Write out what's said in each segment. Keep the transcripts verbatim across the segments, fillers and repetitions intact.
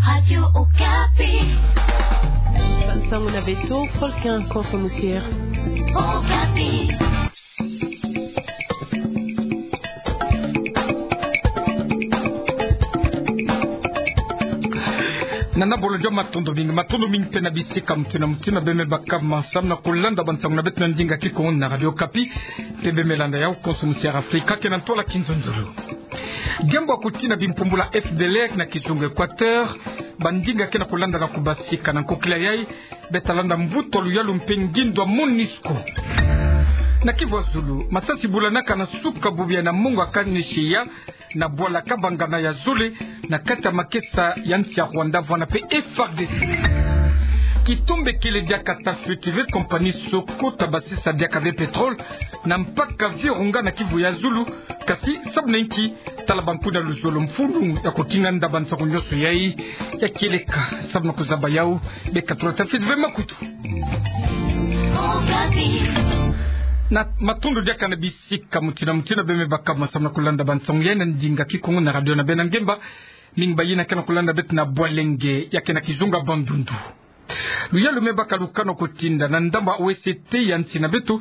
Radio Okapi. Nsangu na beto, Folkin Konso Musier. Okapi. Nana bolo jo matondo mingi, matondo mingi mpe na bisika mutindu na mutindu beme baka samu na kulanda bansangu na beto na ndinga Kikongo na Radio Okapi, mpe beme landa yau Konso Musier Afrika, ke na ntwala Kinzonzolo. Diambu ya kutina bimpumbulu ya F D L R na kizunga Équateur, bandinga ke na kulanda na kubasika. Na nkokila yayi, beta landa mvutu ya luyalu mpe ngindu ya MONUSCO. Na Kivu ya zulu, masasi bulanaka na suka bubu yayi na mongo ya Kaneshie na bwala Kabangana ya zole, na kati ya makesa ya nsi ya Rwanda, vwanda mpe F A R D C. Kitumba kele diaka ta fuite ve compagnie Soko ta basisa diaka ve pétrole na mpaka Virunga na Kivu ya zulu, kasi sabu na inki? Tala bankunga ya luzolo mfunu ya kukinga nda bansangu nyonso yayi ya kieleka. Samu na kuzaba yau, beka tula ta fuite ve makutu. Na matondo diaka na bisika mutindu na mutindu beme baka samu na kulanda bansangu yayi na ndinga Kikongo na radio na beno ngemba. Mingi bayina ke na kulanda beto na bwalenge ya ke na kizunga Bandundu. Luyalu me baka lukana kutinda na ndambu ya O S T ya nsi na beto,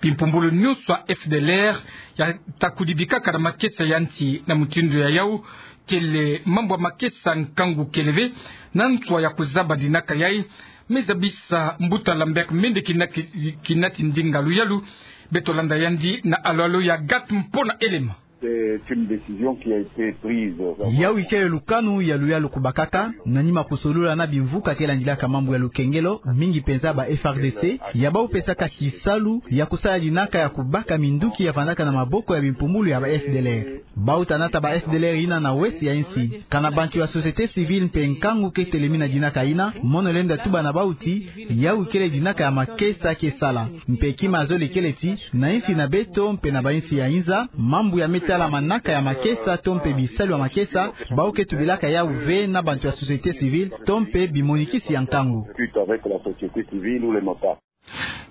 bimpumbulu nyonso ya F D L R ya ta kudibikaka na makesa ya nsi. Na mutindu yayau, kele mambu ya makesa nkangu kele ve na nswa ya kuzaba dinaka yayi, me zabisa mbuta Lambert Mende, kina ki-, kina tindinga luyalu. Beto landa yandi na alo-alo ya Agathe Mpona Elema. C'est une décision qui a été prise. Yau ikele lukanu ya luyalu kubakaka, na nima kusolula na bimvuka ke landilaka mambu ya lukengelo, mingi penza ba F A R D C, ya bau pesaka kisalu ya kusala dinaka ya kubaka minduki ya vandaka na maboko ya bimpumbulu ya ba F D L R. Bau ta nata ba F D L R yina na ouest ya insi. Kana bantu ya société civile mpe nkangu ke telemi na dinaka yina, mono lenda tuba na bau ti, yau ikele dinaka ya makesa ke sala. Mpe kima zole kele ti, na insi na beto mpe na ba insi ya inza, mambu ya me tala manaka ya makesa to mpe bisalu ya makesa, bau ke tubilaka yau ve na bantu ya société civile to mpe bimonikisi ya nkangu. Suite avec la société civile ou les notables.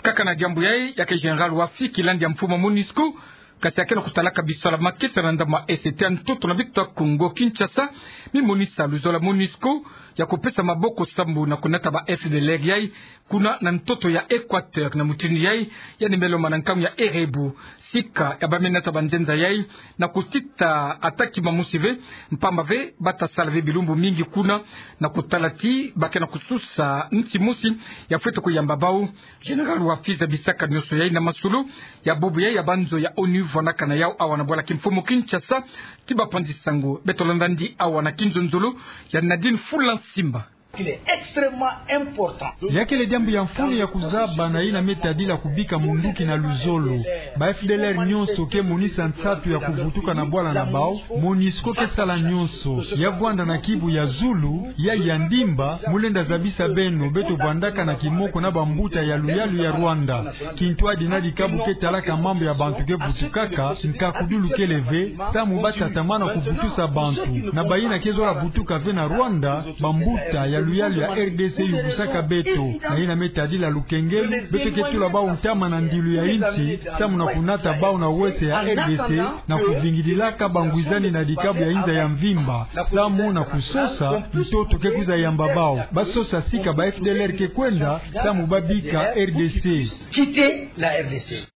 Kaka na diambu yayi, ya ke général Wafi, kilandi ya mfumu ya MONUSCO, kasi ya ke na kutalaka bisalu ya makesa na ndambu ya est ya ntoto na beto ya Kongo Kinshasa, mi monisa luzolo ya MONUSCO ya kupesa maboko samu na kunata ba F D L R yayi kuna na ntoto ya Équateur. Na mutindu yayi, yandi me lomba na nkangu ya heure ebu sika ya ba me nata banzenza yayi na kutita ata kima mosi ve, mpamba ve bata sala ve bilumbu mingi kuna, na kutala ti ba ke na kususa nsi mosi ya fwete kuyamba bau. Général Wafi zabisaka nyonso yayi na masolo ya bubu yayi ya banzo ya ONU vandaka na yau awa na bwala kimfumu Kinshasa. Ti bapanzi sango, beto landa yandi awa na kinzonzolo ya Nadine Fula Nsimba. Il est extrêmement important. Ya kele diambu ya mfunu ya kuzaba na yina me tadila kubika munduki na luzolo. Ba F D L R nyonso ke monisa nsatu ya kuvutuka na bwala na bau. MONUSCO ke sala nyonso. Ya vwanda na Kivu ya zulu, ya ya Ndimba, mu lenda zabisa beno, beto vandaka na kimoko na bambuta ya luyalu ya Rwanda. Kintwadi na dikabu ke talaka mambu ya bantu ke vutukaka, nkakudulu kele ve, samu ba tatamana kuvutusa bantu. Na bayina ke zola vutuka ve na Rwanda, bambuta ya luyalu ya R D C yuvusaka beto. Na yina me tadila lukengelo, beto ke tula bau ntama na ndilu ya insi, samu na kunata bau na ouest ya R D C, na kuvingidilaka bangwizani na dikabu ya inza ya mvimba, samu na kusosa ntoto ke kwiza yamba bau. Ba sosa sika ba F D L R ke kwenda, samu ba bika R D C. Quitter la R D C.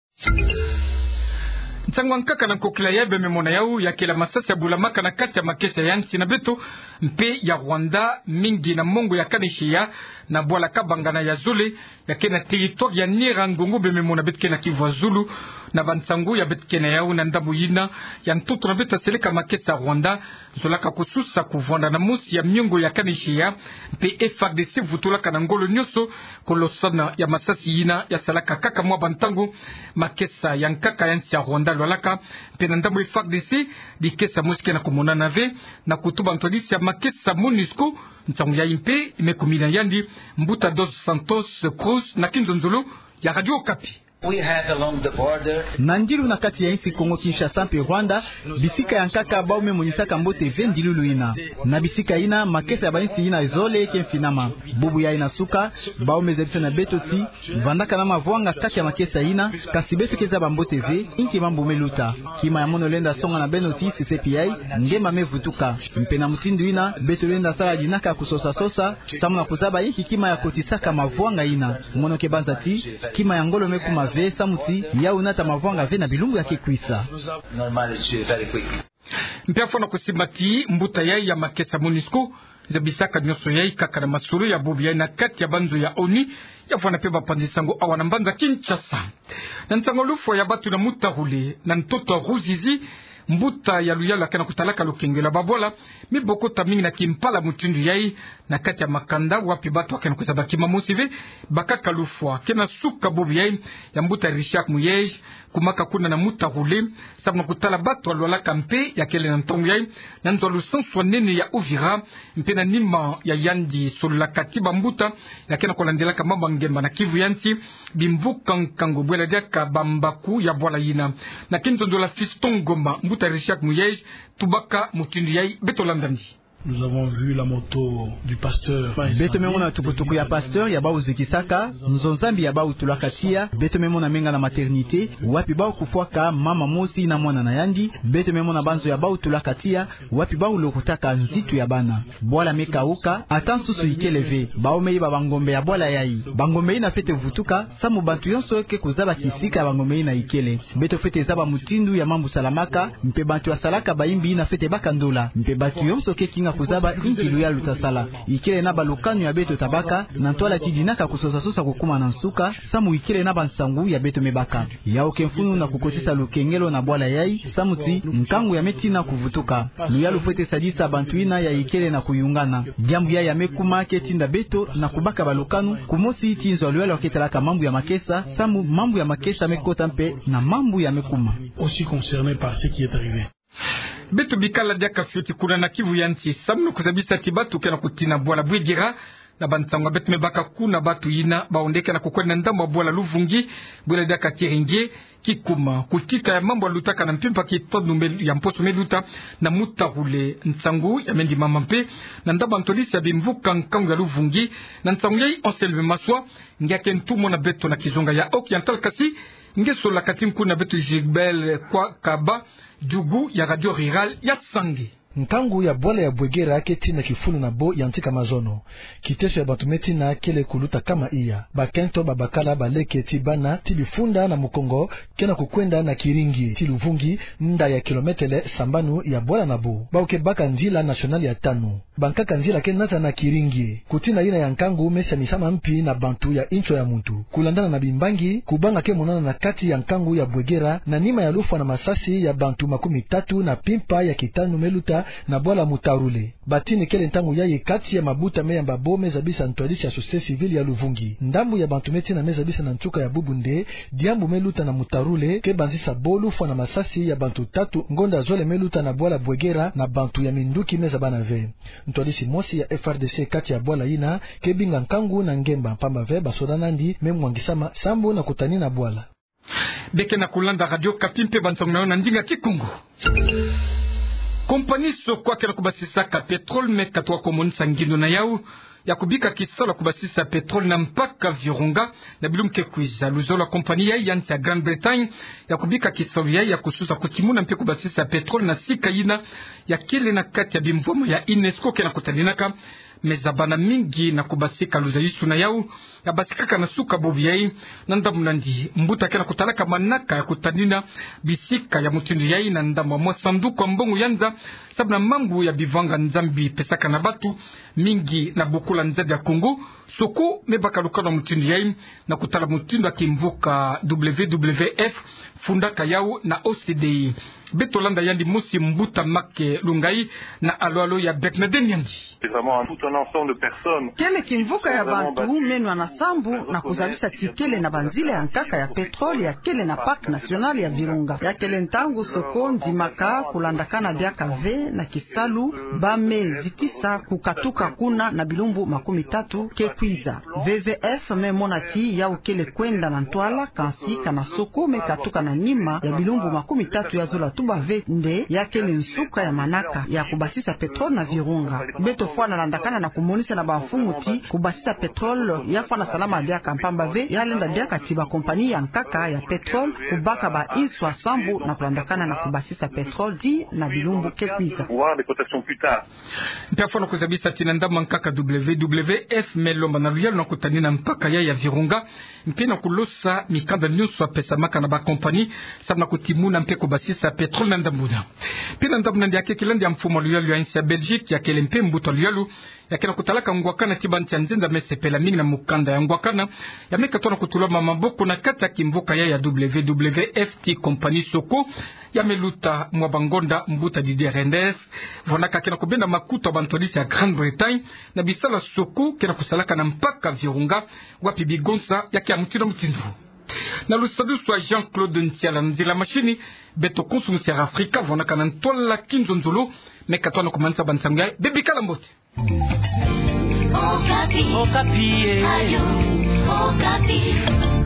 Nsangu ya nkaka na nkokila yayi beme mona yau, ya kele masasi ya bulamaka na kati ya makesa ya nsi na beto mpe ya Rwanda, mingi na mongo ya Kaneshie na bwala Kabangana ya zole, ya ke na territoire ya Nyiragongo, beme mona beto ke na Kivu ya zulu. Na bansangu ya beto ke na yau, na ndambu yina ya ntoto na beto ya seleka makesa ya Rwanda zolaka kususa kuvwanda na mosi ya miongo ya Kaneshie, mpe F A R D C vutulaka na ngolo nyonso ku losana ya masasi yina ya salaka kaka mwa bantangu. Makesa ya nkaka ya nsi ya Rwanda lwalaka, mpe na ndambu F A R D C, dikesa mosi ke na kumonana ve, na kutuba ntwadisi ya makesa MONUSCO. Nsangu yayi mpe i me kumina yandi mbuta Dos Santos Cruz na kinzonzolo ya Radio Okapi. Na ndilu na kati ya insi Kongo Kinshasa mpe Rwanda, bisika ya nkaka bau me monisaka mbote ve ndilulu ina. Na bisika ina, makesa ya bainsi ina zole ke mfinama. Bubu yai na suka, bau me zabisa na beto ti vandaka na mavwanga kati ya makesa ina, kasi beto ke zaba mbote ve inki mambu me luta. Kima ya mono lenda songa na beno ti sesepi yai, nge ma me vutuka. Mpe na mutindu ina, beto lenda sala dinaka kusosa-sosa, samu na kuzaba inki kima ya kotisaka mavwanga ina. Mono ke banza ti, kima ya ngolo me kuma ve, samu ti, yau nata mavwanga ve na bilumbu ya ke kwisa. Mpe afwana kusimba ti mbuta yai ya makesa MONUSCO zabisaka nionso yai kaka na masolo ya bubu yai na kati ya banzo ya ONU, ya fwana mpe bapanzi nsango awa na mbanza Kinshasa. Na nsangu ya lufwa ya batu na Mutarule, na ntoto ya Ruzizi, mbuta ya luyalu ya ke na kutalaka lukengelo ya babwala, mibokota mingi na kimpala mutindu yai, na kati ya makanda wapi batu ya ke na kuzaba kima mosi ve, bakaka lufwa. Ke na suka bubu yai ya mbuta Richard Muyej, kumaka kuna na Mutarule, samu na kutala batu ya lwalaka mpe ya kele na ntangu yai na nzo ya lusansu ya nene ya Uvira, mpe na nima ya yandi sololaka ti bambuta ya ke na kulandelaka mambu ya ngemba na Kivu ya nsi, bimvuka nkangu bwela diaka bambaku ya bwala yina. Na kinzonzolo ya Fiston Ngoma, mbuta Richard Muyej tubaka mutindu yai, beto landa ndi. Nous avons vu la moto du pasteur. Beto me mona tukutuku ya pasteur ya bau zikisaka, nzo Nzambi ya bau tulaka tiya, beto me mona menga na maternité, wapi bau kufwaka mama mosi na mwana na yandi, beto me mona banzo ya bau tulaka tiya, wapi bau lokotaka nzitu ya bana. Bwala me kauka, ata nsusu ikele ve, bau me yiba bangombe ya bwala yai. Bangombe ina fwete vutuka, samu bantu yonso ke kuzaba kisika ya bangombe ina ikele. Beto fwete zaba mutindu ya mambu salamaka, mpe bantu ya salaka bayimbi ina fwete baka ndola, mpe bantu yonso ke kinga kuzaba inki luyalu ta sala. Ikele na balukanu ya beto ta baka, na ntwala ti dinaka kusosa-sosa kukuma na nsuka, samu ikele na bansangu ya beto me baka. Yau ke mfunu na kukotisa lukengelo na bwala yai, samu ti nkangu ya me tina kuvutuka. Luyalu fwete sadisa bantu ina ya ikele na kuyungana. Diambu yai ya me kuma ke tinda beto na kubaka balukanu, kumosi ti nzo ya luyalu ya ke talaka mambu ya makesa, samu mambu ya makesa me kota mpe na mambu ya me kuma. Aussi concerné par ce qui est arrivé. Beto bikala diaka fioti kuna na Kivu ya nsi, samu na kuzabisa ti batu ke na kutina bwala Bwegera, na bansangu ya beto me baka kuna, batu ina bau nde ke na kukwenda na ndambu ya bwala Luvungi, bwela diaka Kiringi, kikuma, kutita ya mambu ya lutaka na mpimpa kitanu me, ya mposo me luta na Mutarule. Nsangu ya me ndimama mpe na ndambu ya ntwadisi ya bimvuka nkangu ya Luvungi. Na nsangu yai Anselme Maswa, nge ya ke ntumwa na beto na kizunga ya Occidental, kasi nge sololaka ti nkuna beto Gilbert Kwakaba, diugu ya Radio Rurale ya Sange. Nkangu ya bwala ya Bwegera ke tina kifulu na bo yantika mazono. Kiteso ya bantu me tina kele kuluta kama iya. Bakento, babakala, baleke ti bana, ti bifunda na mukongo, ke na kukwenda na Kiringi ti Luvungi, nda ya kilometele sambanu ya bwala na bo. Bau ke baka nzila nationale ya tanu. Bankaka nzila ke nata na Kiringi. Kutina ina ya nkangu me sanisama mpi na bantu ya incho ya muntu. Kulandana na bimbangi, kubanga ke monana na kati ya nkangu ya Bwegera, na nima ya lufwa na masasi ya bantu makumitatu na mpimpa ya kitanu me luta na bwala Mutarule. Batini kele ntangu yai kati ya mabuta me yamba bo me zabisa ntwadisi ya société civile ya Luvungi. Ndambu ya bantu me tina me zabisa na nsuka ya bubu nde, diambu me luta na Mutarule ke banzisa bo lufwa na masasi ya bantu tatu ngonda zole me luta na bwala Bwegera na bantu ya minduki me zabana ve. Ntwadisi mosi ya F R D C kati ya bwala ina ke binga nkangu na ngemba, mpamba ve basoda nandi me mwangisama sambu na kutanina bwala. Beke na kulanda Radio Okapi mpe bansangu na yo na ndinga Kikongo. Kompani Soko ya ke na kubasisaka pétrole me katuka kumonisa ngindo na yau ya kubika kisalu ya kubasisa pétrole na mpaka Virunga na bilumbu ke kwiza. Luzolo ya kompani yai ya nsi ya Grande-Bretagne ya kubika kisalu yai ya kususa, kutimuna mpe kubasisa pétrole na sika yina ya kele na kati ya bimvwama ya UNESCO ke na kutaninaka. Me zabana mingi na kubasika luzayisu na yau ya basikaka na suka bubu yai. Na ndambu nandi, mbuta ke na kutalaka manaka ya kutanina bisika ya mutindu yai na ndambu ya mwa sanduku ya mbongo ya nza, sabu na mambu ya bivanga Nzambi pesaka na batu mingi na bokula nzadi ya Kongo. Soko me baka lukanu ya mutindu yai na kutala mutindu ya kimvuka W W F fundaka yau na O C D E. Beto landa yandi mosi, mbuta Make Lungai, na alo-alo ya Bernadette Nyangi. C'est vraiment un, tout un ensemble de personnes. Kele kimvuka ya bantu meno na sambu na kuzabisa tikele na banzila ya nkaka ya pétrole ya kele na Parc National ya Virunga. Ya kele ntangu soko ndimaka kulandakana diaka ve na kisalu ba me zitisa kukatuka kuna na bilumbu makumi tatu ke kwiza. V V F me mona ti yawu kele kwenda na ntwala, kansi kana soko me katuka na nima ya bilumbu makumi tatu ya zola tuba ve nde ya kele nsuka ya manaka ya kubasisa pétrole na Virunga. Beto fwana landakana na kumonisa na bamfumu ti kubasisa pétrole ya fwana salama diaka, mpamba ve ya lenda diaka ti ba compagnie ya nkaka ya pétrole kubaka ba inswa sambu na kulandakana na kubasisa pétrole ti na bilumbu ke kwiza. Voir des cotations plus tard. Mpe fwana kuzabisa ti na ndambu ya nkaka W W F me lomba na luyalu na kutani na mpaka ya ya Virunga, mpe na kulosa mikanda nyonso ya pesamaka na ba compagnie samu na kutimuna mpe kubasisa pétrole na ndambu yina. Mpe na ndambu yina, ya keke landi ya mfumu ya luyalu ya insi ya Belgique, ya kele mpe mbuta luyalu ya ke na kutalaka ngwakana ti bansi ya nzenza me sepela mingi na mukanda ya ngwakana, ya me katona kutulama maboko na kati ya kimvuka ya ya W W F ti compagnie soko ya me luta mwa bangonda, mbuta Didier Reynders. Vwandaka ke na kubenda makutu ya bantwadisi ya Grande-Bretagne na bisala soko ke na kusalaka na mpaka Virunga, wapi bigonsa ya ke ya mutindu na mutindu. Na lusadusu ya Jean-Claude Ntiala, nzila mashini, beto konso musi ya Afrika vwandaka na ntwala kinzonzolo. Me katona kumanisa bansangu ya, bebikala mbote. Okapi. Okapi, eh. Radio Okapi.